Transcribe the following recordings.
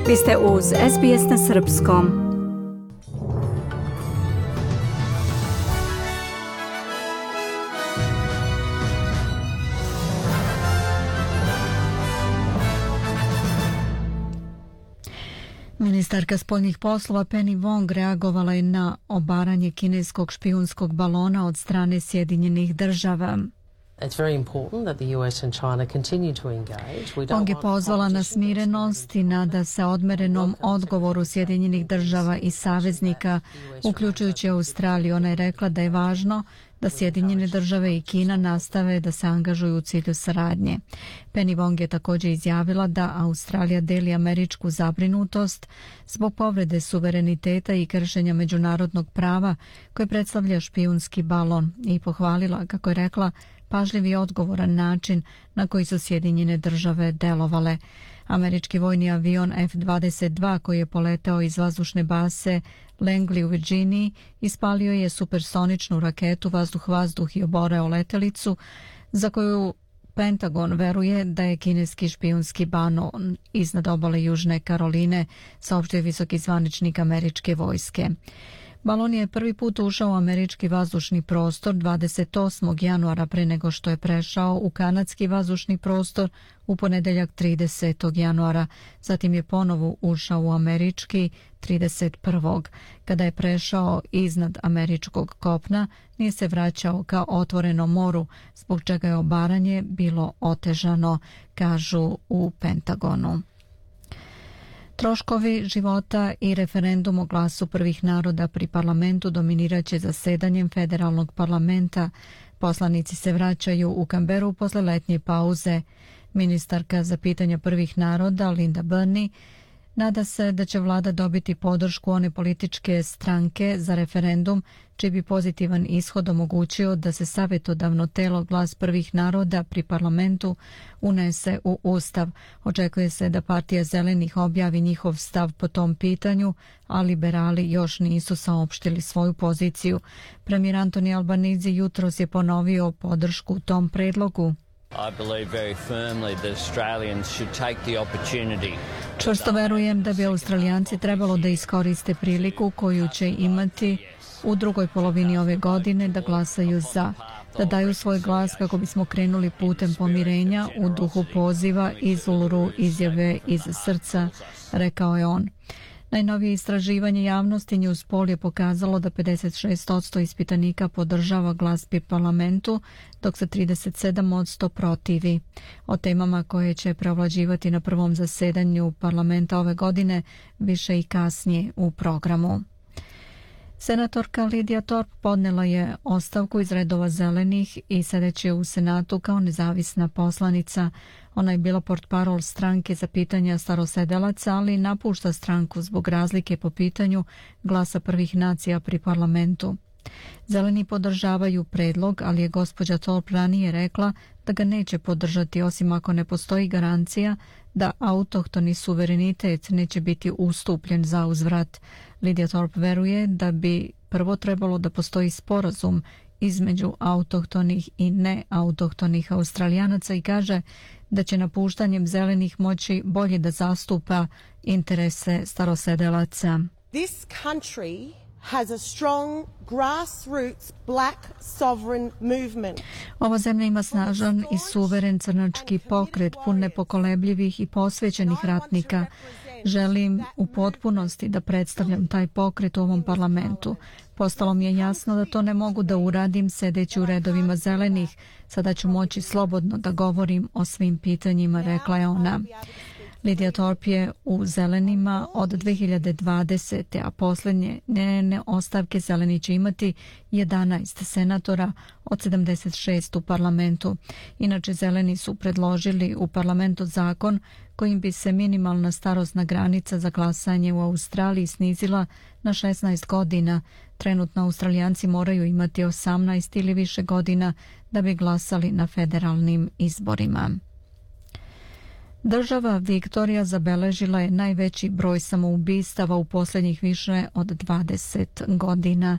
Vi ste uz SBS na srpskom. Ministarka spoljnih poslova Penny Wong reagovala je na obaranje kineskog špijunskog balona od strane Sjedinjenih država. Wong je pozvala na smirenost i nada se odmerenom odgovoru Sjedinjenih država i saveznika, uključujući Australiju. Ona je rekla da je važno da Sjedinjene države i Kina nastave da se angažuju u cilju saradnje. Penny Wong je također izjavila da Australija deli američku zabrinutost zbog povrede suvereniteta i kršenja međunarodnog prava koje predstavlja špijunski balon i pohvalila, kako je rekla, pažljiv i odgovoran način na koji su Sjedinjene države delovale. Američki vojni avion F-22 koji je poleteo iz vazdušne base Langley u Virginiji ispalio je supersoničnu raketu vazduh-vazduh i oboreo letelicu za koju Pentagon veruje da je kineski špijunski balon iznad obale Južne Karoline, saopštio je visoki zvaničnik američke vojske. Balon je prvi put ušao u američki vazdušni prostor 28. januara pre nego što je prešao u kanadski vazdušni prostor u ponedeljak 30. januara. Zatim je ponovo ušao u američki 31. Kada je prešao iznad američkog kopna, nije se vraćao ka otvorenom moru, zbog čega je obaranje bilo otežano, kažu u Pentagonu. Troškovi života i referendum o glasu prvih naroda pri parlamentu dominiraće zasedanjem federalnog parlamenta. Poslanici se vraćaju u Canberru posle letnje pauze. Ministarka za pitanja prvih naroda Linda Burney nada se da će vlada dobiti podršku one političke stranke za referendum, čiji bi pozitivan ishod omogućio da se savjetodavno telo glas prvih naroda pri parlamentu unese u Ustav. Očekuje se da partija Zelenih objavi njihov stav po tom pitanju, a liberali još nisu saopštili svoju poziciju. Premijer Anthony Albanese jutros je ponovio podršku tom predlogu. Čvrsto verujem da bi Australijanci trebalo da iskoriste priliku koju će imati u drugoj polovini ove godine da glasaju za, da daju svoj glas kako bismo krenuli putem pomirenja u duhu poziva iz Uluru izjave iz srca, rekao je on. Najnovije istraživanje javnosti Newspoll je pokazalo da 56% ispitanika podržava glas pri parlamentu, dok se 37% protivi. O temama koje će preovlađivati na prvom zasedanju parlamenta ove godine više i kasnije u programu. Senatorka Lydia Thorpe podnela je ostavku iz redova Zelenih i sedeće u Senatu kao nezavisna poslanica. Ona je bila portparol stranke za pitanja starosedelaca, ali napušta stranku zbog razlike po pitanju glasa prvih nacija pri parlamentu. Zeleni podržavaju predlog, ali je gospođa Thorpe ranije rekla da ga neće podržati osim ako ne postoji garancija da autohtoni suverenitet neće biti ustupljen za uzvrat. Lydia Thorpe veruje da bi prvo trebalo da postoji sporazum između autohtonih i neautohtonih Australijanaca i kaže da će napuštanjem Zelenih moći bolje da zastupa interese starosedelaca. This country has a strong grassroots black sovereign movement. Ova zemlja ima snažan i suveren crnački pokret pun nepokolebljivih i posvećenih ratnika. Želim u potpunosti da predstavljam taj pokret u ovom parlamentu. Postalo mi je jasno da to ne mogu da uradim sedeći u redovima Zelenih. Sada ću moći slobodno da govorim o svim pitanjima, rekla je ona. Lydia Thorpe je u Zelenima od 2020. a posljednje njene ostavke Zeleni će imati 11 senatora od 76 u parlamentu. Inače, Zeleni su predložili u parlamentu zakon kojim bi se minimalna starosna granica za glasanje u Australiji snizila na 16 godina. Trenutno Australijanci moraju imati 18 ili više godina da bi glasali na federalnim izborima. Država Viktorija zabeležila je najveći broj samoubistava u posljednjih više od 20 godina.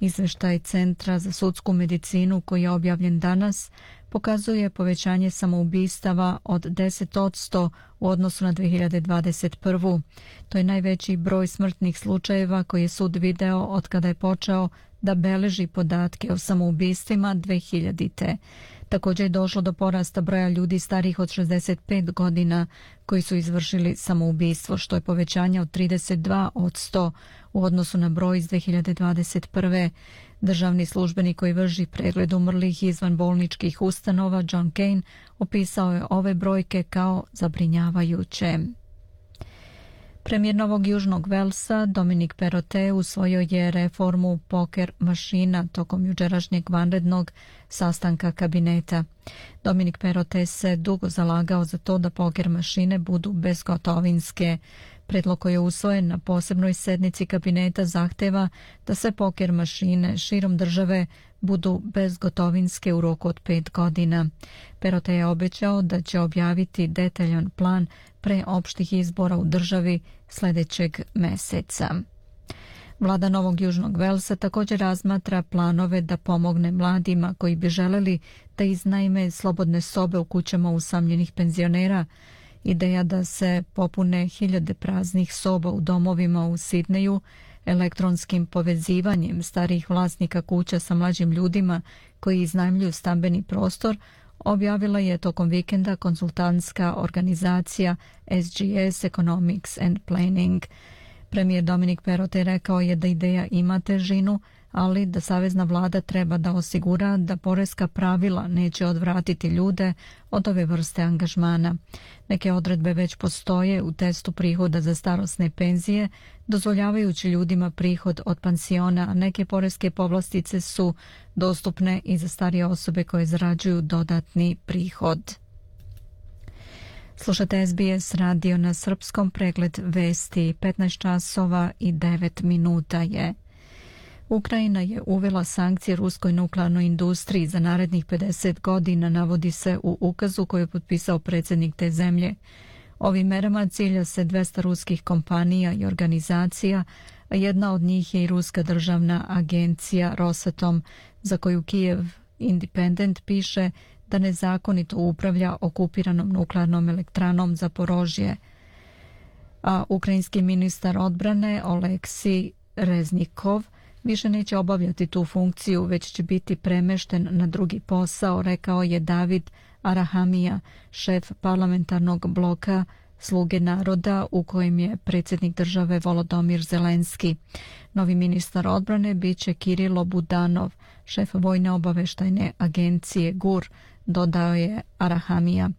Izveštaj Centra za sudsku medicinu koji je objavljen danas pokazuje povećanje samoubistava od 10% u odnosu na 2021. To je najveći broj smrtnih slučajeva koji je sud video od kada je počeo da beleži podatke o samoubistvima 2000. Također je došlo do porasta broja ljudi starih od 65 godina koji su izvršili samoubistvo, što je povećanje od 32% u odnosu na broj iz 2021. Državni službenik koji vrši pregled umrlih izvan bolničkih ustanova, John Kane, opisao je ove brojke kao zabrinjavajuće. Premijer Novog Južnog Velsa, Dominic Perrottet, usvojio je reformu poker mašina tokom jučerašnjeg vanrednog sastanka kabineta. Dominic Perrottet se dugo zalagao za to da poker mašine budu bezgotovinske. Predlog koji je usvojen na posebnoj sednici kabineta zahteva da sve poker mašine širom države budu bezgotovinske u roku od 5 godina. Perrottet je obećao da će objaviti detaljan plan pre opštih izbora u državi sljedećeg meseca. Vlada Novog Južnog Velsa također razmatra planove da pomogne mladima koji bi želeli da iznajme slobodne sobe u kućama usamljenih penzionera. Ideja da se popune hiljade praznih soba u domovima u Sidneju elektronskim povezivanjem starijih vlasnika kuća sa mlađim ljudima koji iznajmljuju stambeni prostor objavila je tokom vikenda konsultantska organizacija SGS Economics and Planning. Premijer Dominic Perrottet rekao je da ideja ima težinu, ali da savezna vlada treba da osigura da poreska pravila neće odvratiti ljude od ove vrste angažmana. Neke odredbe već postoje u testu prihoda za starosne penzije, dozvoljavajući ljudima prihod od pansiona, a neke poreske povlastice su dostupne i za starije osobe koje zarađuju dodatni prihod. Slušate SBS radio na srpskom, pregled vesti, 15 časova i 9 minuta je. Ukrajina je uvela sankcije ruskoj nuklearnoj industriji za narednih 50 godina, navodi se u ukazu koji je potpisao predsjednik te zemlje. Ovim merama cilja se 200 ruskih kompanija i organizacija, a jedna od njih je i ruska državna agencija Rosatom, za koju Kijev Independent piše da nezakonito upravlja okupiranom nuklearnom elektranom Zaporožje. A ukrajinski ministar odbrane Oleksij Reznikov više neće obavljati tu funkciju, već će biti premešten na drugi posao, rekao je David Arahamija, šef parlamentarnog bloka Sluge naroda u kojem je predsjednik države Volodymyr Zelenski. Novi ministar odbrane biće Kirilo Budanov, šef vojne obaveštajne agencije GUR, dodao je Arahamija.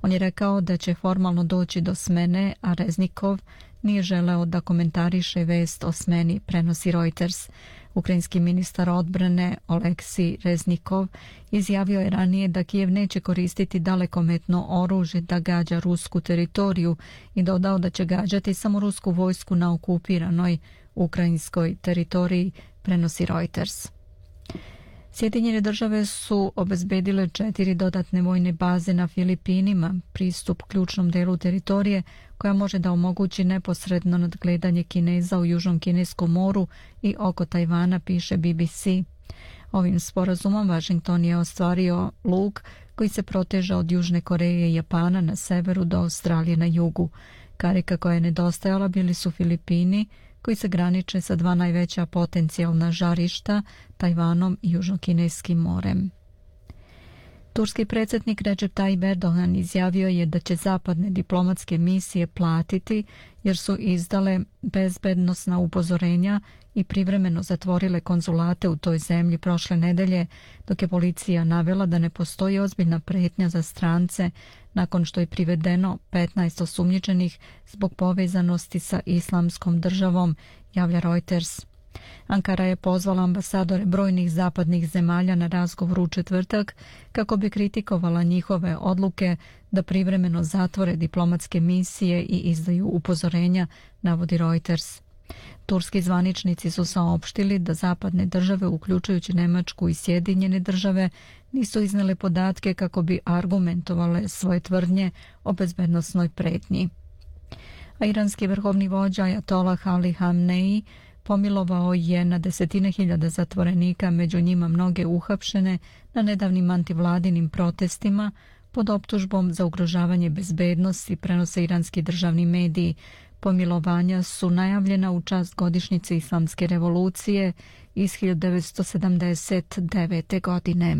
On je rekao da će formalno doći do smene, a Reznikov nije želeo da komentariše vest o smeni, prenosi Reuters. Ukrajinski ministar odbrane Oleksij Reznikov izjavio je ranije da Kijev neće koristiti dalekometno oružje da gađa rusku teritoriju i dodao da će gađati samo rusku vojsku na okupiranoj ukrajinskoj teritoriji, prenosi Reuters. Sjedinjene države su obezbedile 4 dodatne vojne baze na Filipinima, pristup ključnom delu teritorije koja može da omogući neposredno nadgledanje Kineza u Južnom kineskom moru i oko Tajvana, piše BBC. Ovim sporazumom Washington je ostvario luk koji se proteže od Južne Koreje i Japana na severu do Australije na jugu. Karika koja je nedostajala bili su Filipini, koji se graniče sa 2 najveća potencijalna žarišta, Tajvanom i Južnokineskim morem. Turski predsjednik Recep Tayyip Erdogan izjavio je da će zapadne diplomatske misije platiti jer su izdale bezbednosna upozorenja i privremeno zatvorile konzulate u toj zemlji prošle nedelje, dok je policija navela da ne postoji ozbiljna pretnja za strance nakon što je privedeno 15 osumnjičenih zbog povezanosti sa Islamskom državom, javlja Reuters. Ankara je pozvala ambasadore brojnih zapadnih zemalja na razgovor u četvrtak kako bi kritikovala njihove odluke da privremeno zatvore diplomatske misije i izdaju upozorenja, navodi Reuters. Turski zvaničnici su saopštili da zapadne države, uključujući Nemačku i Sjedinjene države, nisu iznele podatke kako bi argumentovale svoje tvrdnje o bezbednosnoj pretnji. A iranski vrhovni vođa Ajatolah Ali Hamnei pomilovao je na desetine hiljada zatvorenika, među njima mnoge uhapšene na nedavnim antivladinim protestima pod optužbom za ugrožavanje bezbednosti, prenose iranski državni mediji. Pomilovanja su najavljena u čast godišnjice Islamske revolucije iz 1979. godine.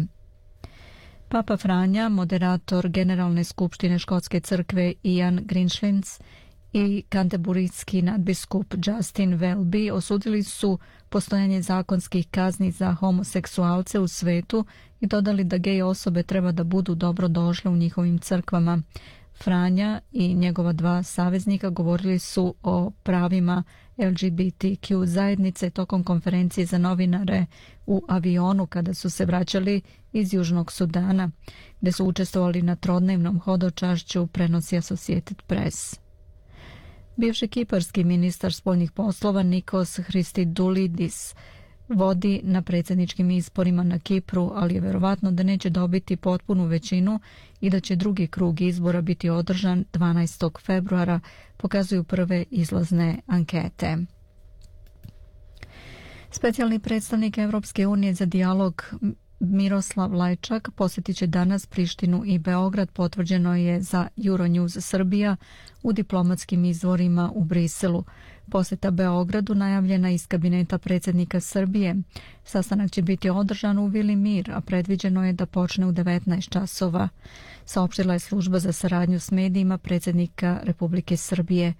Papa Franja, moderator Generalne skupštine Škotske crkve Ian Greenslenes i kanterburijski nadbiskup Justin Welby osudili su postojanje zakonskih kazni za homoseksualce u svetu i dodali da gej osobe treba da budu dobro došle u njihovim crkvama. Franja i njegova dva saveznika govorili su o pravima LGBTQ zajednice tokom konferencije za novinare u avionu kada su se vraćali iz Južnog Sudana, gde su učestvovali na trodnevnom hodočašću, prenosi Associated Press. Bivši kiparski ministar spoljnih poslova Nikos Christodoulidis vodi na predsjedničkim izborima na Kipru, ali je verovatno da neće dobiti potpunu većinu i da će drugi krug izbora biti održan 12. februara, pokazuju prve izlazne ankete. Specijalni predstavnik Evropske unije za dijalog Miroslav Lajčak posjetit će danas Prištinu i Beograd, potvrđeno je za Euronews Srbija u diplomatskim izvorima u Briselu. Posjeta Beogradu najavljena iz kabineta predsjednika Srbije. Sastanak će biti održan u Vili Mir, a predviđeno je da počne u 19 časova. Saopštila je služba za saradnju s medijima predsjednika Republike Srbije.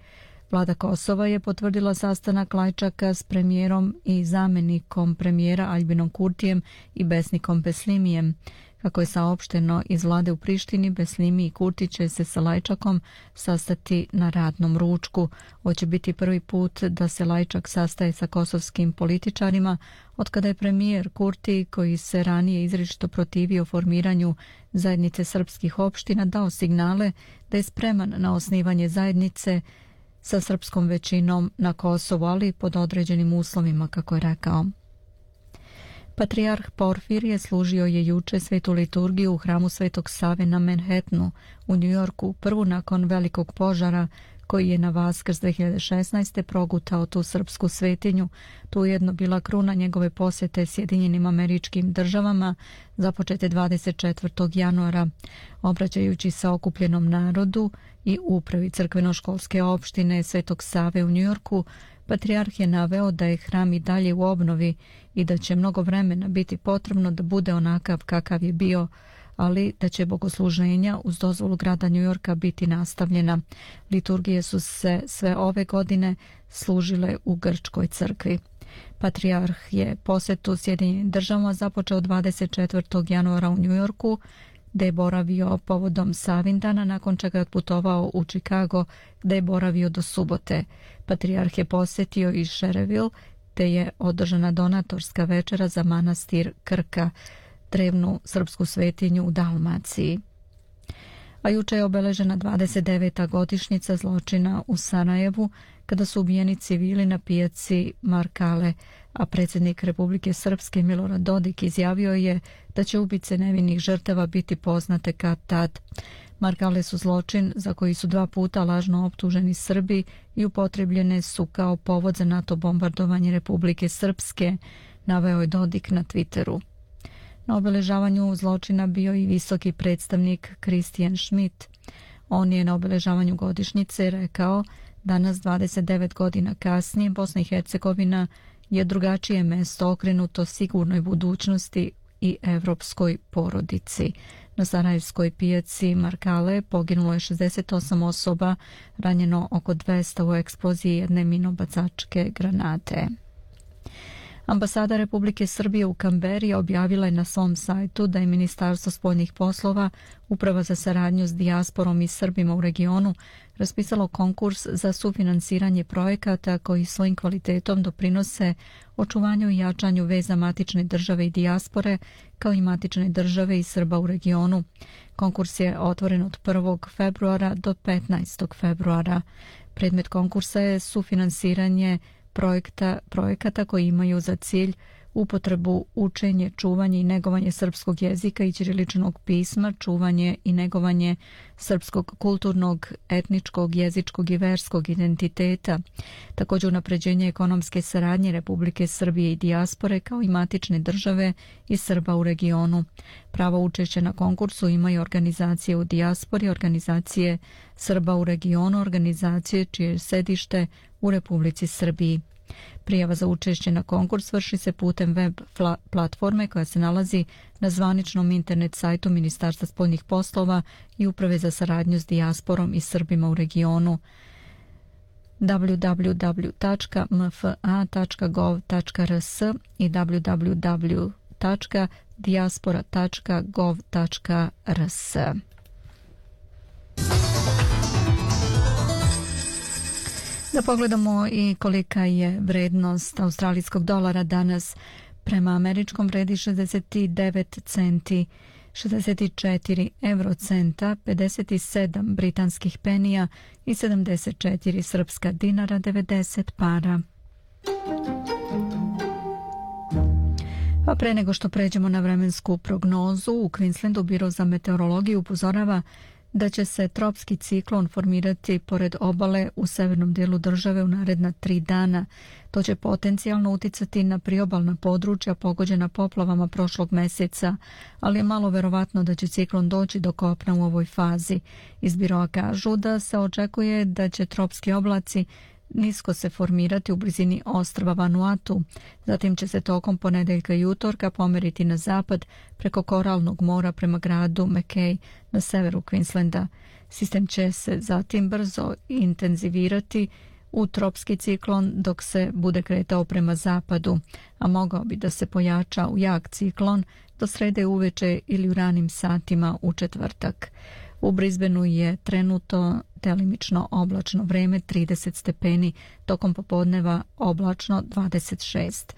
Vlada Kosova je potvrdila sastanak Lajčaka s premijerom i zamjenikom premijera Aljbinom Kurtijem i Besnikom Beslimijem. Kako je saopšteno iz vlade u Prištini, Beslimi i Kurti će se sa Lajčakom sastati na radnom ručku. Ovo će biti prvi put da se Lajčak sastaje sa kosovskim političarima otkada je premijer Kurti, koji se ranije izričito protivio formiranju zajednice srpskih opština, dao signale da je spreman na osnivanje zajednice sa srpskom većinom na Kosovu, ali pod određenim uslovima, kako je rekao. Patrijarh Porfirije služio je juče svetu liturgiju u hramu Svetog Save na Manhattanu u Njujorku, prvu nakon velikog požara koji je na Vaskrs 2016. progutao tu srpsku svetinju. Tu ujedno bila kruna njegove posjete Sjedinjenim Američkim Državama započete 24. januara. Obraćajući se okupljenom narodu i upravi crkveno-školske opštine Svetog Save u Njujorku, patrijarh je naveo da je hram i dalje u obnovi i da će mnogo vremena biti potrebno da bude onakav kakav je bio, ali da će bogosluženja uz dozvolu grada Njujorka biti nastavljena. Liturgije su se sve ove godine služile u Grčkoj crkvi. Patrijarh je posjetu Sjedinjenim Državama započeo 24. januara u Njujorku, gde je boravio povodom Savindana, nakon čega je otputovao u Chicago, gde je boravio do subote. Patrijarh je posjetio i Shereville, gde je održana donatorska večera za manastir Krka, drevnu srpsku svetinju u Dalmaciji. A juče je obeležena 29. godišnjica zločina u Sarajevu, kada su ubijeni civili na pijaci Markale, a predsjednik Republike Srpske Milorad Dodik izjavio je da će ubice nevinih žrtava biti poznate kad tad. Markale su zločin za koji su 2 puta lažno optuženi Srbi i upotrebljene su kao povod za NATO bombardovanje Republike Srpske, naveo je Dodik na Twitteru. Na obeležavanju zločina bio i visoki predstavnik Christian Schmidt. On je na obeležavanju godišnjice rekao: danas 29 godina kasnije Bosna i Hercegovina je drugačije mesto okrenuto sigurnoj budućnosti i evropskoj porodici. Na sarajevskoj pijaci Markale poginulo je 68 osoba, ranjeno oko 200 u eksploziji jedne minobacačke granate. Ambasada Republike Srbije u Kamberi objavila je na svom sajtu da je Ministarstvo spoljnih poslova, Uprava za saradnju s dijasporom i Srbima u regionu, raspisalo konkurs za sufinansiranje projekata koji svojim kvalitetom doprinose očuvanju i jačanju veza matične države i dijaspore, kao i matične države i Srba u regionu. Konkurs je otvoren od 1. februara do 15. februara. Predmet konkursa je sufinansiranje projekata koji imaju za cilj upotrebu, učenje, čuvanje i negovanje srpskog jezika i ćiriličnog pisma, čuvanje i negovanje srpskog kulturnog, etničkog, jezičkog i verskog identiteta, također unapređenje ekonomske saradnje Republike Srbije i dijaspore kao i matične države i Srba u regionu. Pravo učešće na konkursu imaju organizacije u dijaspori, organizacije Srba u regionu, organizacije čije je sedište u Republici Srbiji. Prijava za učešće na konkurs vrši se putem web platforme koja se nalazi na zvaničnom internet sajtu Ministarstva spoljnih poslova i Uprave za saradnju s dijasporom i Srbima u regionu www.mfa.gov.rs i www.diaspora.gov.rs. Da pogledamo i kolika je vrednost australijskog dolara danas. Prema američkom vredi 69 centi, 64 eurocenta, 57 britanskih penija i 74 srpska dinara, 90 para. A pre nego što pređemo na vremensku prognozu, u Queenslandu Biro za meteorologiju upozorava da će se tropski ciklon formirati pored obale u severnom dijelu države u naredna 3 dana. To će potencijalno uticati na priobalna područja pogođena poplavama prošlog mjeseca, ali je malo verovatno da će ciklon doći do kopna u ovoj fazi. Iz biroa kažu da se očekuje da će tropski oblaci nisko se formirati u blizini ostrva Vanuatu. Zatim će se tokom ponedeljka i utorka pomeriti na zapad preko Koralnog mora prema gradu Mackay na severu Queenslanda. Sistem će se zatim brzo intenzivirati u tropski ciklon dok se bude kretao prema zapadu, a mogao bi da se pojača u jak ciklon do srede uveče ili u ranim satima u četvrtak. U Brisbaneu je trenutno delimično oblačno vreme 30 stepeni, tokom popodneva oblačno 26.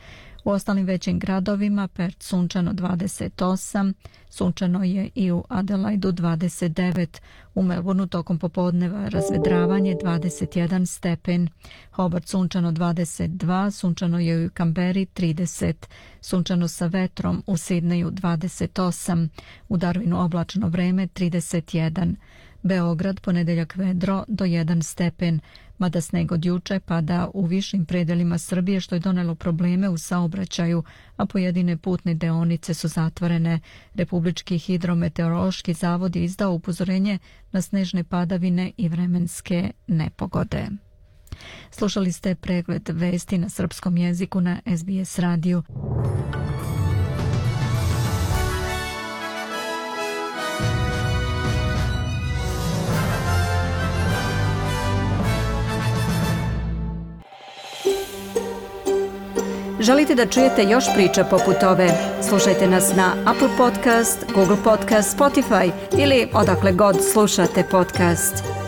U ostalim većim gradovima Perth sunčano 28, sunčano je i u Adelaidu 29, u Melbourneu tokom popodneva razvedravanje 21 stepen, Hobart sunčano 22, sunčano je i u Canberri 30, sunčano sa vetrom u Sidneju 28, u Darwinu oblačno vreme 31, Beograd ponedeljak vedro do 1 stepen, mada sneg od juče pada u višim predelima Srbije što je donelo probleme u saobraćaju, a pojedine putne deonice su zatvorene. Republički hidrometeorološki zavod je izdao upozorenje na snežne padavine i vremenske nepogode. Slušali ste pregled vesti na srpskom jeziku na SBS radiju. Želite da čujete još priča poput ove? Slušajte nas na Apple Podcast, Google Podcast, Spotify ili odakle god slušate podcast.